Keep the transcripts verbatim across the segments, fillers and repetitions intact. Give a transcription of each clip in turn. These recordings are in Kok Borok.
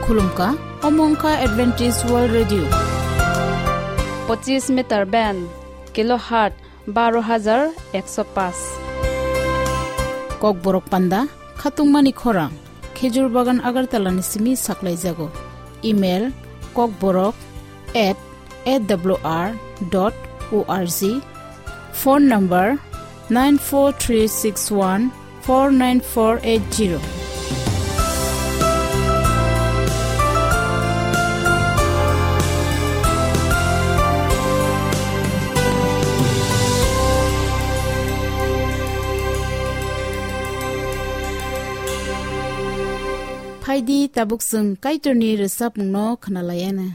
Khulumkha, omo wngkha Adventist World Radio. Pochis meter band, kilohertz baro hajar ekso paanch. Kokborok panda, khatungmani khorang, Khejur Bagan Agartala ni simi saklaijago. Email, kokborok at A W R dot O R G. Phone number, nine four three six one four nine four eight zero. Phaidi, tabuk chwng Kaitorni rwchapmungno khwnalaiana.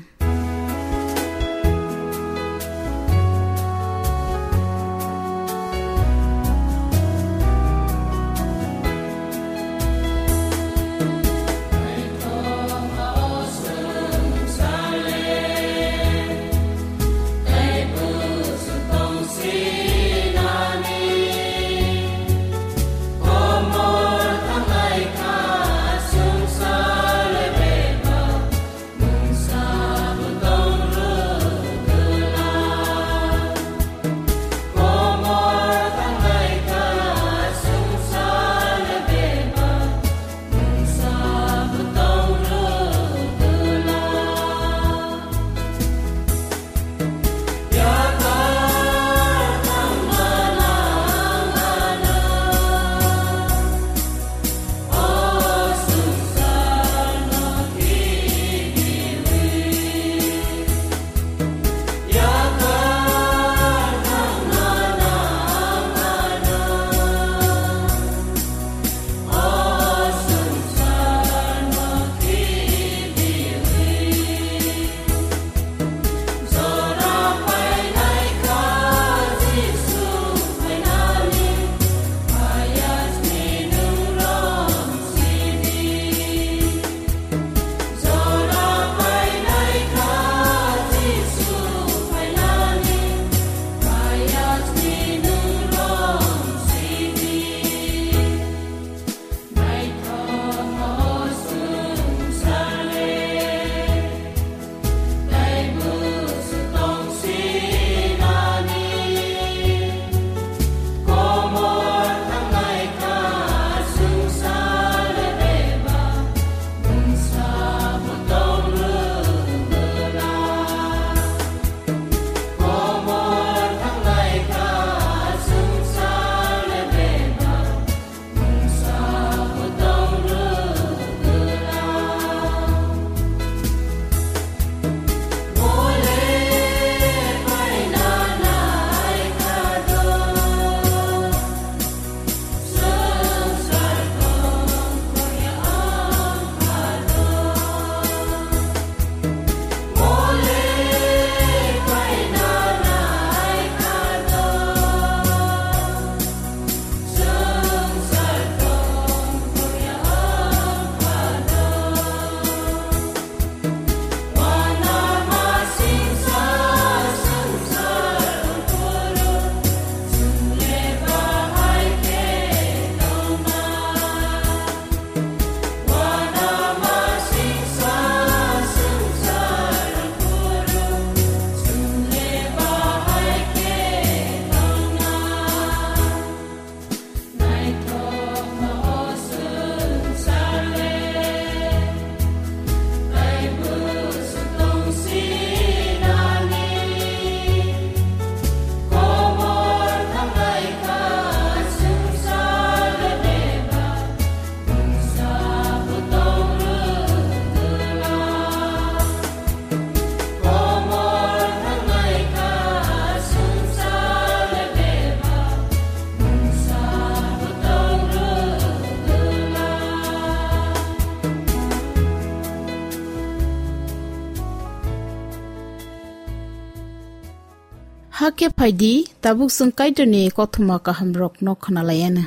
Hakhe phaidi, tabuk chwng Kaitorni kothoma kahamrokno khwnalaiana.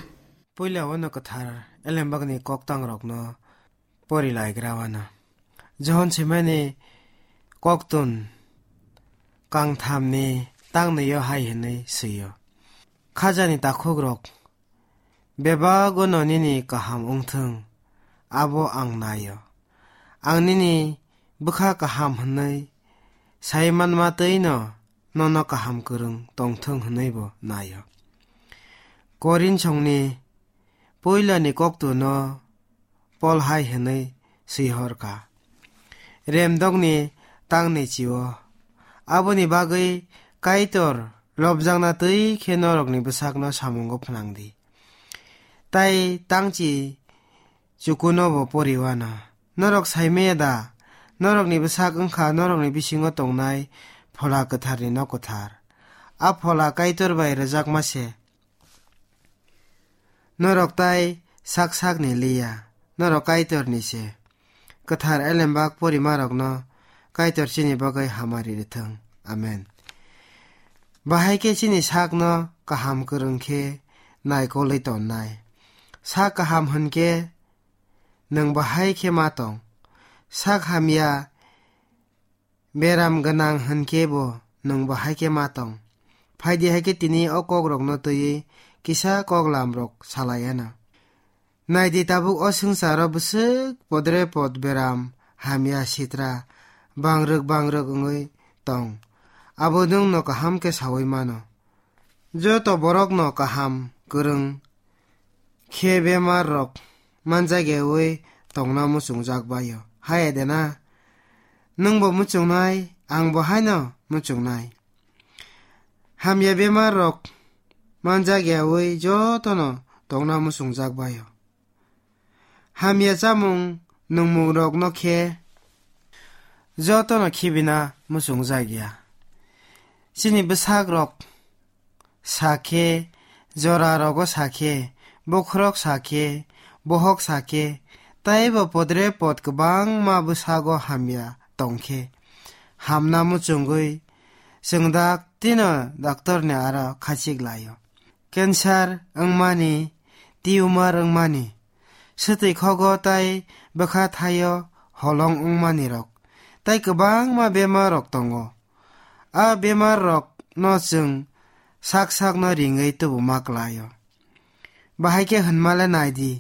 Puila wano kwthar elembakni koktangrokno pori laigra wano. Johon simani koktun kangthamni tangnaio hai hwnwi swiyo: Khajani takhukrok, bebagwno nini kaham wngthwng, abo ang naio. ang nini bwkha kaham hwnwi sai manma twi'-no nono kaham kwrwng tongthwng hwnwibo nai-o. Korinsongni puilani koktwno Pol hai hwnwi swi hor kha, Remdokni tangni chi-o. Aboni bagwi Kaitor lobjakna twi khe norokni bwsakno samungo phnang di. Tai tangchi chukunobo poriwana. Norok saimaya da? Norokni bwsak wngkha norokni bisingo tongnai Phola Kwtharni nok kwthar. A Phola Kaitor bai rwjakma se. Norok tai sak sakni liya, norok Kaitorni se. Kwthar elembak porimarokno Kaitor chini bagwi hamari rwthwng. Amen. Bahai khe chini sakno kaham kwrwng khe naikolwi tonnai. Sak kaham hwn khe nwng bahai khe ma tong. Sak hamya beram gwnang hwn khe bo nwng bo hai khe ma tong. Phai di hai khe tini o kok rokno twiwi kisa kok lam rok salai anw. Nai di, tabuk o swngcharo bwswk podre pod beram hamya sitra bangrwk bangrwk wngwi tong. Abo nwng no kaham khe saui mano. Joto borok no kaham kwrwng khe bemar rok manjakyaui tongna muchungjak bai-o. Hai de na? Nwng bo muchungnai, ang bo haino muchungnai. Hamya bemar rok manjakyaui joto no tongna muchungjak bai-o. Hamya chamung nungmung rokno khe joto no khibina muchungjak ya. Chini bwsak rok sa khe, jora rogo sa khe, bokhorok sa khe, bohok sa khe, taibo podre pod kwbangma bwsago hamya tong khe, hamna muchungwi chwng dak tino doctor ni aro khachik lai-o. Cancer wngmani, tumor wngmani, swtwi khogo tai bwkha thaio holong wngmani rok, tai kwbangma bemar rok tongo. A bemar rok no chwng sak sak no ringwi tubuma klai-o. Bahai khe hwnma le nai di,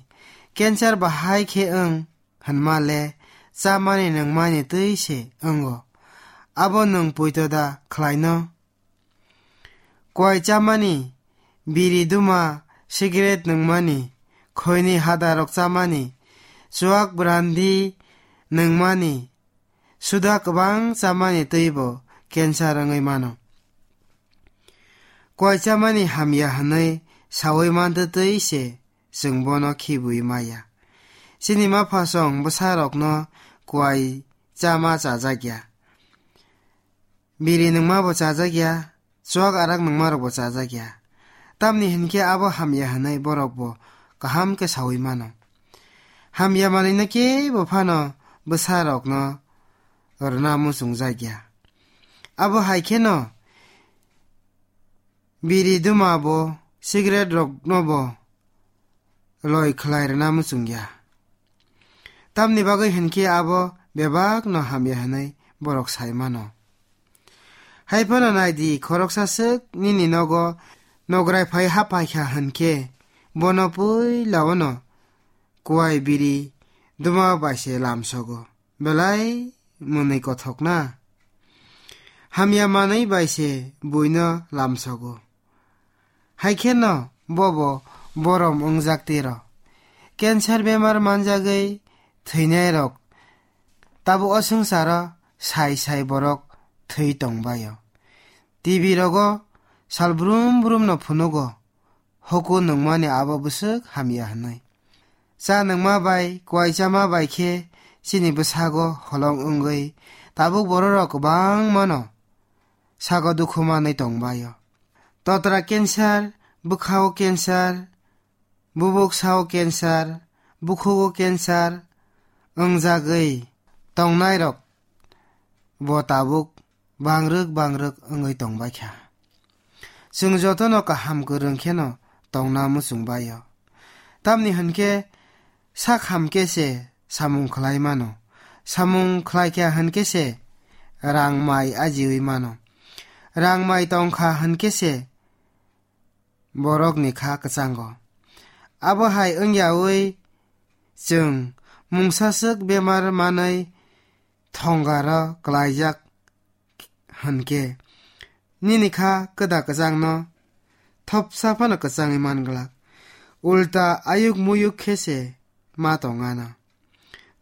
cancer bahai khe wng hwnma le chamani nungmani twi se wngo. Abo nwng poito da khlai no? Kuai chamani, biri duma, cigarette nungmani, khoini hada rok chamani, chuak brandi nungmani, suda kwbang chamani twibo cancer wngwi mano. Kuai chamani hamya hwnwi saui mantwi twi se chwng bono khibui maya. Chini maphasong bwsarokno kuai chama chajak ya. Biri nungma bo chajak ya, chuak arak nungma rok bo chajak ya. Tamni hinkhe abo hamya hwnwi borok bo kaham khe saui mano. Hamya manwino kebo phano bwsa rokno rwna muchungjak ya. Abo hai kheno biri duma bo, cigarette rokno bo loi khlai rwna muchung ya. Tamni bagwi hinkhe abo bebak no hamya hwnwi borok sai mano. Hai phano nai di, khoroksa swk nini nogo nograi phai ha paikha hinkhe, bono puila o no kuai biri duma bai se lamsogo. Belai mwnwi kothok na? Hamya manwi bai se buino lamsogo. Hai kheno bobo borom wngjak tiro. Cancer bemar manjagwi thwinairok tabuk o swngcharo sai sai borok thwi tongbaio. T V rogo sal brum brum no phunugo. Huku nungmani abo bwswk hamya hwnwi. Cha nungma bai, kuai chama bai khe chini bwsago holong wngwi tabuk bororok kwbangmano sago dukhu manwi tongbaio. Totra cancer, bwkhao cancer, bubuk sao cancer, bukhugo cancer wngjagwi tongnairok bo tabuk bangrwk bangrwk wngwi tongbaikha. Chwng jotono kaham kwrwng kheno tongna muchungbaio. Tamni hwnkhe sak hamkhe se samung khlai mano. Samung khlaikha hwnkhe se rang mai ajiwi mano. Rang mai tongkha hwnkhe se borokni kha kwchango. Abo hai wngyawi chwng Mungsaswk bemar manwi thongaro klaijak hwnkhe, nini kha kwda kwchangno thopsa phano kwchangwi man glak. Ulta ayuk muyuk khe se ma tongano.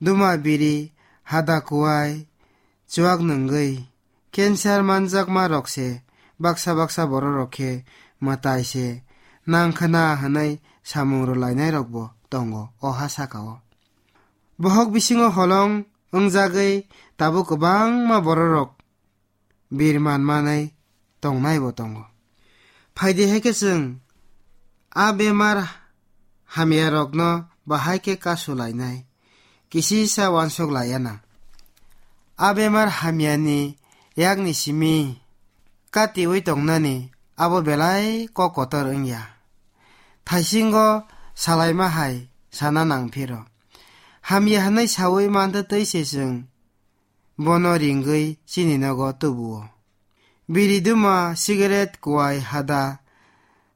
Duma biri, hada kuwai, chuak nungwi, cancer manjakma rok se baksa baksa borok rok khe mwtai se nang khna hwnwi samung rwlainai rok bo tongo o ha saka o. Bohok bisingo holong wngjagwi tabuk kwbangma bororok bir man manai tongnai bo tongo. Phaidi hai khe chwng a bemar hamya rokno bahai khe kasu lainai, kisisa wansuk laiya na. A bemar hamya ni yakni simi katiwi tongnani abo belai kok kotor wngya. Thaisingo salaima hai sana nang phiro. Hamya hwnwi sawi mantwi twi se chwng bono ringwi chini nogo tubuo. Biri duma, cigarette, kuwai hada,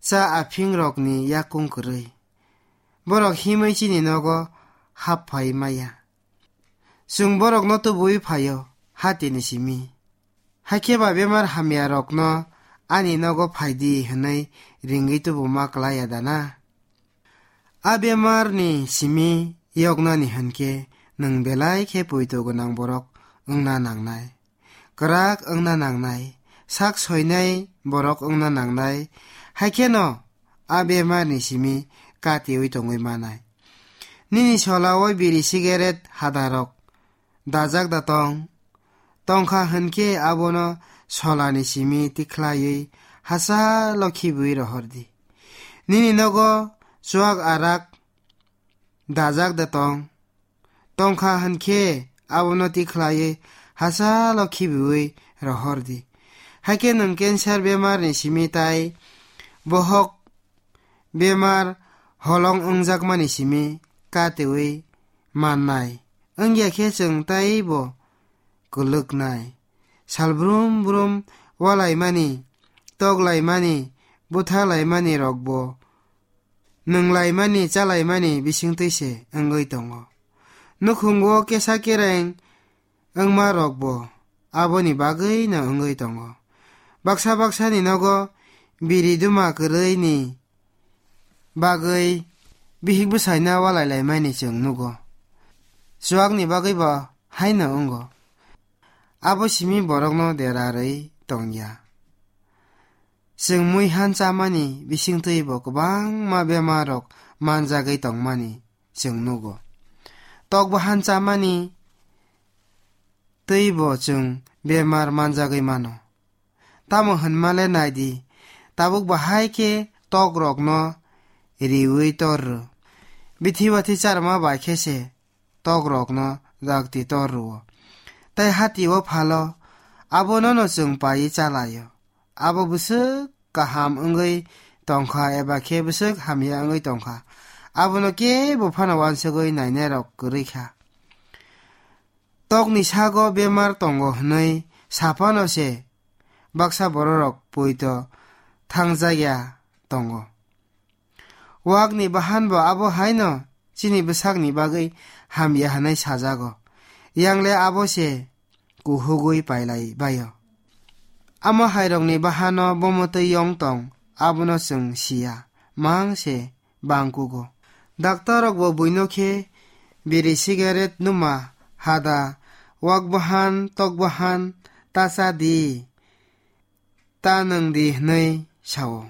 cha aphing rokni yakung kwrwi. Borok himwi chini nogo hap phai maya. Chwng borokno tubuwi phaio, hatini simi. Hakhe ba bemar hamya rokno ani nogo phaidi hwnwi ringwi tubuma klaiya dana? A bemar ni simi yoknani hwnkhe nwng belai khe poito gwnang borok wngna nangnai, kwrak wngna nangnai, sak soinai borok wngna nangnai, hai kheno a bemar ni simi katiwi tongwi manai. Nini sola o biri cigarette hadarok dajak da tong? Tongkha hwnkhe abono solani simi tikhlaiwi hachalo khibiwi rohor di. Nini nogo chuak arak dajak da tong? Tongkha hwnkhe abono tikhlaiwi hachalo khibiwi rohor di. Hakhe nwng cancer bemarni simi tai bohok bemar holong wngjakmani simi katiwi mannai. Wngya khe chwng taibo kwlwknai. Sal brum brum walaimani, toklaimani, buthalaimani rokbo nwnglaimani, chalaimani bisingtwi se wngwi tongo. Nukhungo kesa kereng wngma rokbo aboni bagwino wngwi tongo. Baksa baksani nogo biri duma kwrwini bagwi bihik bwsaino walai laimani chwng nugo. Chuakni bagwi bo haino wngo. Abo simi borokno derarwi tongya. Chwng mui han chamani bisingtwi bo kwbangma bemar rok manjagwi tongmani chwng nugo. Tok bahan chamani twi bo chwng bemar manjagwi mano. Tamo hwnma le nai di, tabuk bahai khe tok rokno riwi tor rw. Bithi bathi charma bai khe se tok rokno dakti tor rw-o. Tai hati o phalo abono no chwng paiwi chalaio. Abo bwswk kaham wngwi tongkha eba khe bwswk hamya wngwi tongkha, abono kebo phano uansugwi nainai rok kwrwi kha. Tokni sago bemar tongo hwnwi saphano se baksa bororok poito thangjakya tongo. Wakni bahan bo abo haino chini bwsakni bagwi hamya hwnwi sajago. Yangle abo se kuhugwi pailai baio. Amo hairokni bahano bomo twi yong tong, abono chwng siya, mang se bangkugo. Daktor rok bo buino khe biri, cigarette, numa, hada, wak bahan, tok bahan ta cha di, ta nwng di hwnwi sao.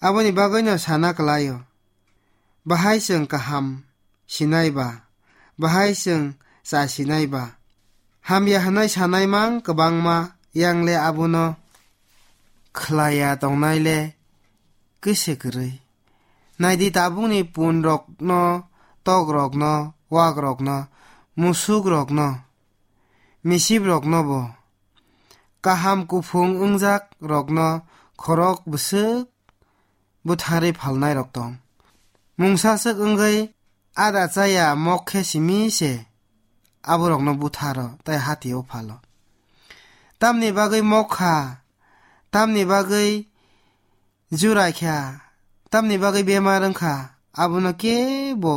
Aboni bagwino sana kwlaio. Bahai chwng kaham sinai ba, bahai chwng cha sinai ba. Hamya hwnwi sanai mang kwbangma, yangle abono khlaiya tongnai le kise kwrwi. Naidi tabukni pun rokno, tok rokno, wak rokno, musuk rokno, misip rokno bo kaham kuphung wngjak rokno khorok bwswk butharwi phalnai rok tong. Mungsa swk wngwi ada chaya mok khe simi se aborokno butharo tai hati o phalo. Tamni bagwi mok kha, tamni bagwi jurai kha, tamni bagwi bemar wng kha, abono kebo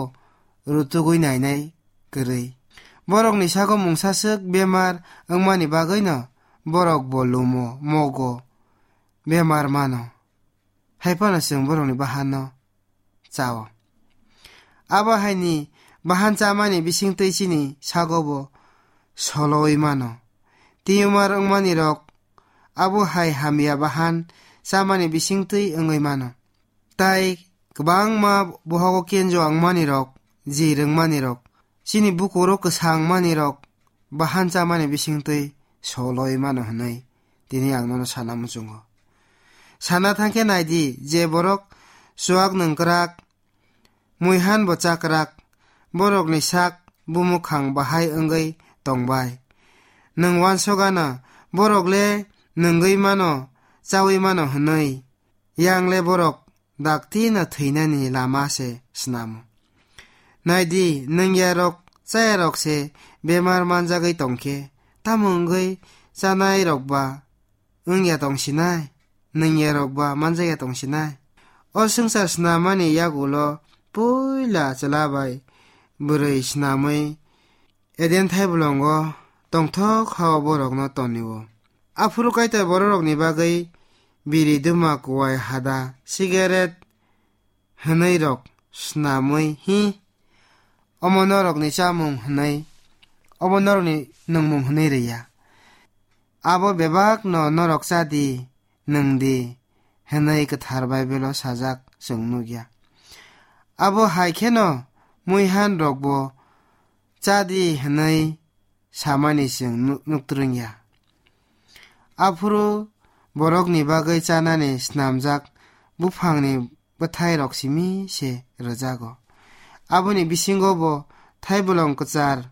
rutugwi nainai kwrwi. Borokni sago mungsaswk bemar wngmani bagwino borok bo lumo, mogo, bemar mano. Hai phano chwng borokni bahanno chao. Abo haini bahan chamani bisingtwi chini sago bo solowi mano. Tumor wngmani rok abo hai hamya bahan chamani bisingtwi wngwi mano. Tai kwbangma bohogo kenjo wngmani rok, ji rwngmani rok, chini bukuro kwsang mani rok bahan chamani bisingtwi solowi mano hwnwi tini ang nono sana muchungo. Sana thangkhe naidi, je borok chuak nungkrak, muihan bo chakrak, borokni sak bumukhang bahai wngwi tongbai. Nwng wansokgana borok le nungwi mano, chawi mano hwnwi, yang le borok dakti no thwinani lama se snamo. Naidi, nungyarok chayarok se bemar manjagwi tongkhe, tamo wngwi chanairok ba wngya tongsinai, nungyarok ba manjakya tongsinai. O swngchar snamani yagulo puila chwla bai bwrwi snamwi Eden thaibolongo tongthok hao borokno tonio. Aphuru Kaitor bororokni bagwi biri duma, kuwai hada, sigaret hwnwi rok snamwi, hi, omo norokni chamung hwnwi, omo norokni nungmung hwnwi rwya. Abo bebakno norok cha di, nwng di, hwnwi kwthar Baibelo sajak chwng nukya. Abo hai kheno muihan rokbo cha di hwnwi samani chwng nuk-, nuktrwngya. Aphuru borokni bagwi chanani snamjak buphangni bwthairok simi se rwjago. Aboni bisingo bo thaibolong kwchar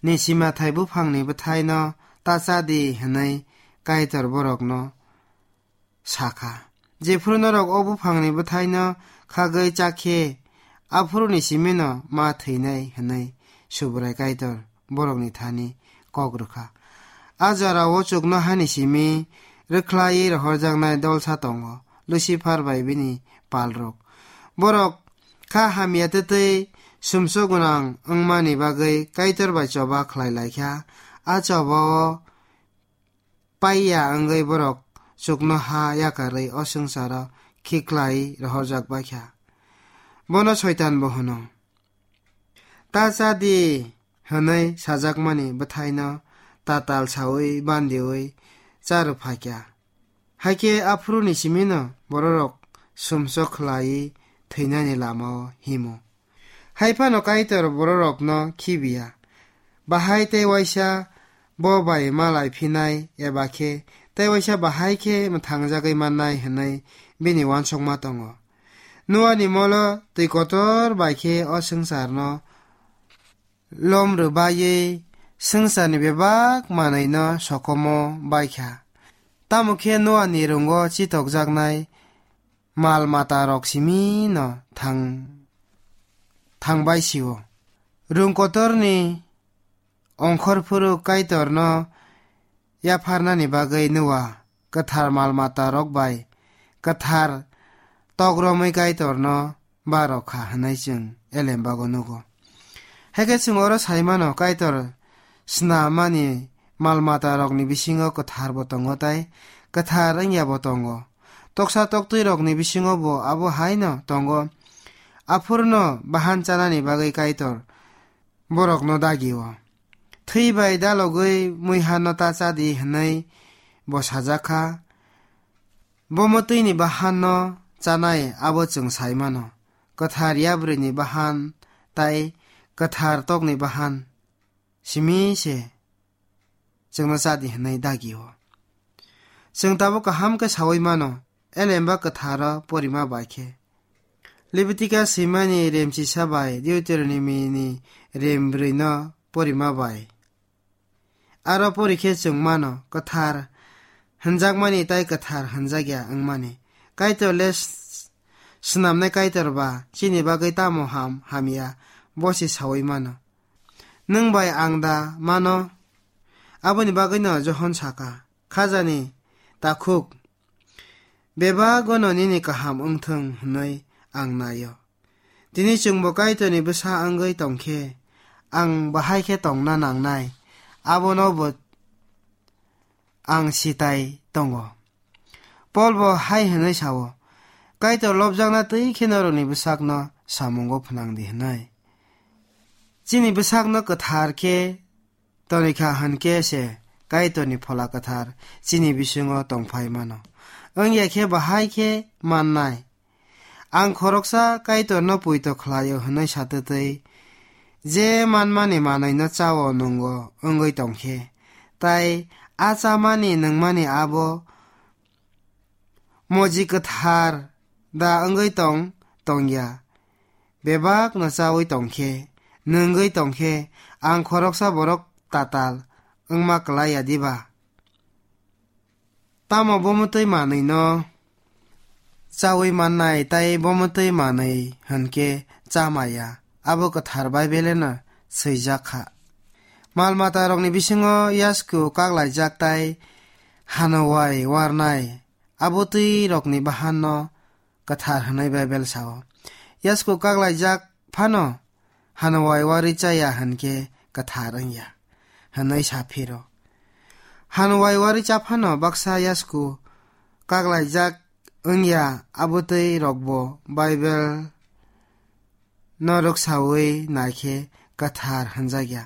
ni sima thai buphangni bwthaino ta cha di hwnwi Kaitor borokno sakha. Jephuru norok o buphangni bwthaino khagwi chakhe, aphuruni simino ma thwinai hwnwi Subrai Kaitor borokni thani kok rwkha. A jorao chuknohani simi rwkhlaiwi rohorjaknai dolsa tongo, Lucifer bai bini palrok. Borok kha hamya twtwi sumsok gwnang wngmani bagwi Kaitor bai choba khlai laikha. A chobao paiya wngwi borok chuknoha yakarwi o swngcharo khiklai rohorjak baikha. Bono Soitan bo hwno. Ta cha di hwnwi sajakmani bwthaino tatal saui bandiui cha rwphaikha. Hakhe aphuruni simino bororok sumsok khlaiwi thwinani lamao himo. Hai phano Kaitor bororokno khibiya. Bahai tei waisa bo bai malai phinai eba khe tei waisa bahai khe mwthangjagwi mannai hwnwi bini uansukma tongo. Noani molo twi kotor bai khe o swngcharno lom rwbaiwi swngcharni bebak manwino sokomo baikha. Tamo khe Noani rungo chitokjaknai mal matarok simino thang-, thangbai sio. Rung kotorni ongkhor phuru Kaitorno yapharnani bagwi Noa kwthar mal matarok bai kwthar tok romwi Kaitorno ba rokha hwnwi chwng elembago nugo. Haikhe chwng oro sai mano, Kaitor snamani mal matarokni bisingo kwthar bo tongo tei kwthar wngya bo tongo. Toksa toktwirokni bisingo bo abo haino tongo. Aphurno bahan chanani bagwi Kaitor borokno dagio. Thwi bai dalogwi muihanno ta cha di hwnwi bo sajak kha. Bo mwtwini bahanno chanai abo chwng sai mano. Kwthar yabrwini bahan tai kwthar tokni bahan simi se chwngno cha di hwnwi dagio. Chwng tabuk kaham khe saui mano, elemba kwtharo porima bai khe. Leviticus swimani remchisa bai Deuteronomy ni rembrwino porima bai. Aro pori khe chwng mano, kwthar hwnjakmani tai kwthar hwnjakya wngmani. Kaitor le s-, snamnai Kaitor ba chini bagwi tamo ham hamya, bo se saui mano. Nwng bai ang da mano? Aboni bagwino Johon saka, Khajani takhuk, bebagono nini kaham wngthung hwnwi ang naio. Tini chwngbo Kaitorni bwsa wngwi tongkhe, ang bahai khe tongna nangnai, abono bo ang sitai tongo. Pol bo hai hwnwi sao, "Kaitor lobjakna twi khe norokni bwsakno samungo phnang di," hwnwi. Chini bwsakno kwthar khe tonikha hwn khe se Kaitorni Phola Kwthar chini bisingo tongphai mano. Wngya khe bahai khe mannai. Ang khoroksa Kaitorno poito khlaio hwnwi satwtwi, je manmani manwino chao nwngo wngwi tongkhe, tai a chamani nwngmani abo moji kwthar da wngwi tong tongya. Bebakno chawi tongkhe, nwngwi tongkhe, ang khoroksa borok tatal wngma klai ya diba? Tamo bo mwtwi manwino chawi mannai, tai bo mwtwi manwi hwnkhe cha maya, abo kwthar Baibeleno swijak kha. Mal matarokni bisingo yasku kaklaijak tai hanowai warnai, abo twi rokni bahanno kwthar hwnwi Baibel sao. Yasku kaklaijak phano hanowai warwi chaya hwnkhe kwthar wngya hwnwi sa phiro. Hanowai warwi cha phano baksa yasku kaklaijak wngya, abo twi rokbo Baibel no rwksawi naikhe kwthar hwnjakya.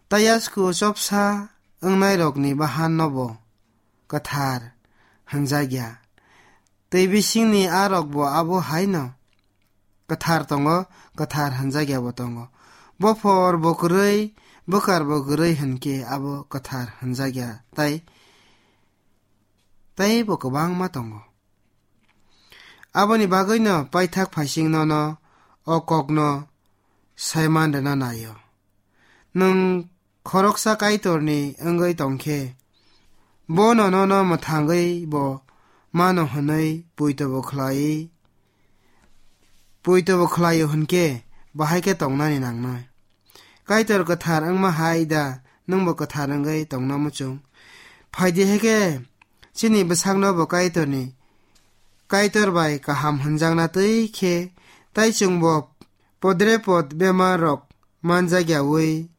Tai yasku chopsa wngnairokni bahannobo kwthar hwnjakya. Twi bisingni a rokbo abo haino kwthar tongo, kwthar hwnjakya bo tongo. Bophor bo kwrwi, bwkar bo kwrwi hwnkhe abo kwthar hwnjakya, tai, tai bo kwbangma tongo. Aboni bagwino paithak phaising nono o kokno saiman rwna naio. Nwng khoroksa Kaitorni wngwi tongkhe, bono nono mwthangwi bo mano hwnwi poito bo khlai, poito bo khlaio hwnkhe, bahai khe tongnani nangnai. Kaitor kwthar wngma hai da, nwngbo kwthar wngwi tongna muchung? Phaidi hai khe, chini bwsakno bo Kaitorni, Kaitor bai kaham hwnjakna twi khe, tai chwngbo podre pod bemar rok manjakyawi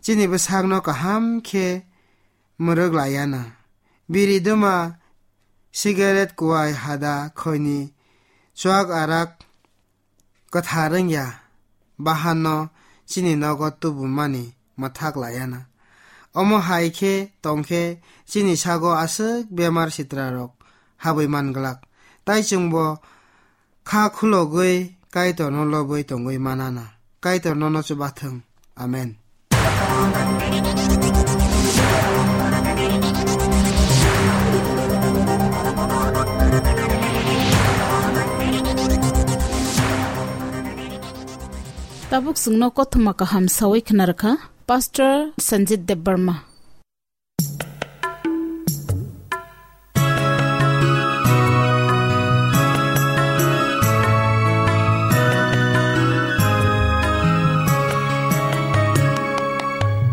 chini bwsakno kaham khe mwrwk laiya na. Biri duma, sigaret, kuai, hada, khoini, chuak, arak kwthar wngya bahanno chini nogo tubumani mwthak laiya na. Omo hai khe tong khe chini sago aswk bemar sitra rok habwi man glak. Tai chwngbo kha khulogwi Kaitorno lobwi tongwi manana. Kaitor nono chubathwng. Amen. Tabuk chwngno kothoma kaham sawi khna rwkha Pastor Sanjit Debbarma.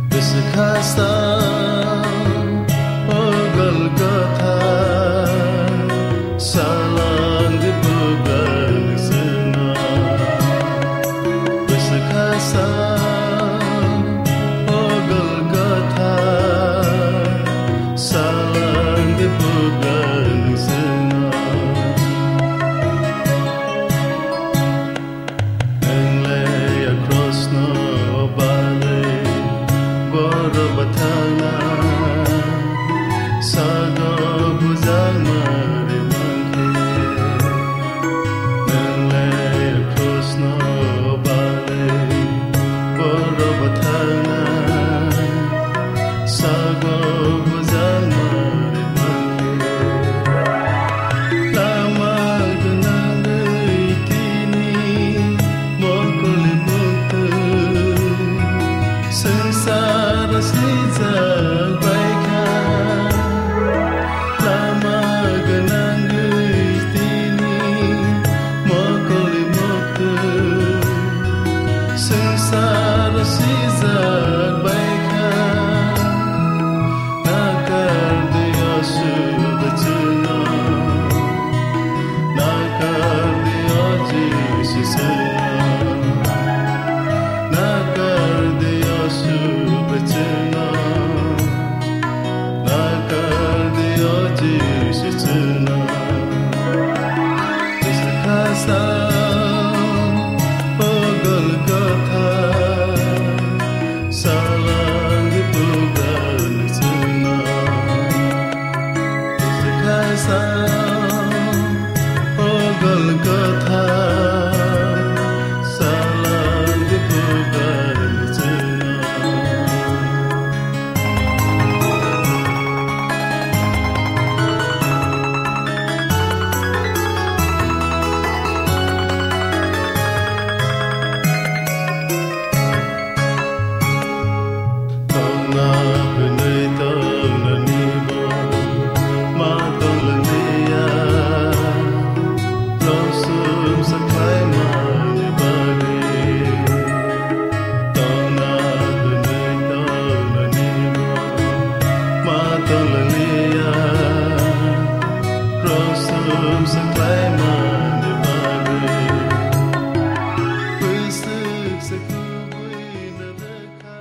Bwswk kha sa, o Golgotha, salang di bubangswngno. Bwswk kha sa, o Golgotha, salang di bubangswngno. Nwng le a cross no bale, borok bathang na Hwnwi tongnani bo ma tonglangliya, rosum saklaimani bagwi. Tongna hwnwi tongnani bo ma tonglangliya, rosum saklaimani bagwi. Bwswk se kubui na rwkha.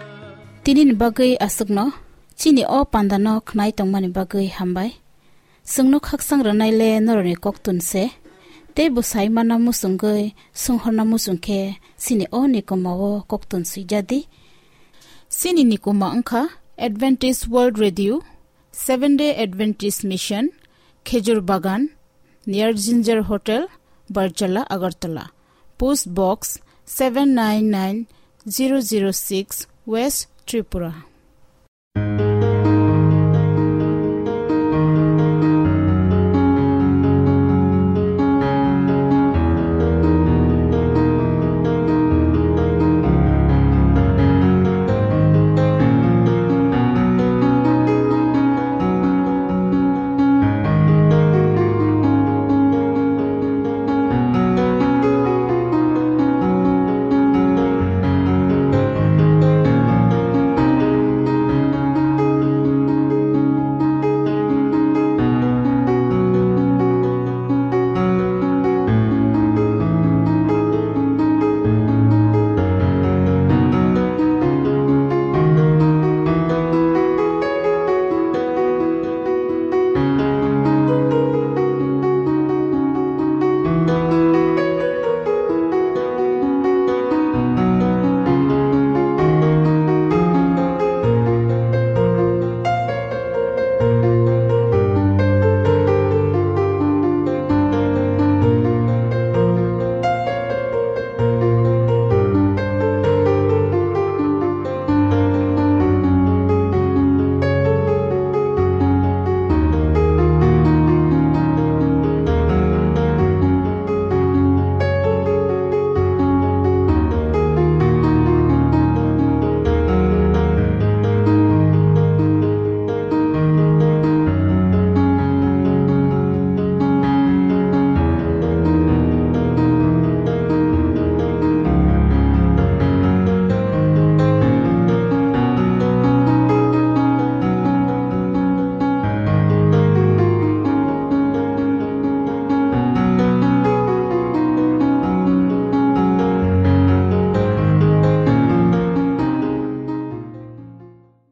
Tinini bagwi aswkno, chini o pandano khnai tongmani bagwi hambai. Chwngno khaksang rwnaile norokni koktun se, tei bwsai manna muchungwi, songhorna muchung khe chini o nikoma o koktun swijadi. Chini nikoma wngkha Adventist World Radio, Seventh Day Adventist Mission, Khejur Bagan, near Ginger Hotel, Barjala, Agartala. Post Box seven nine nine zero zero six, West Tripura.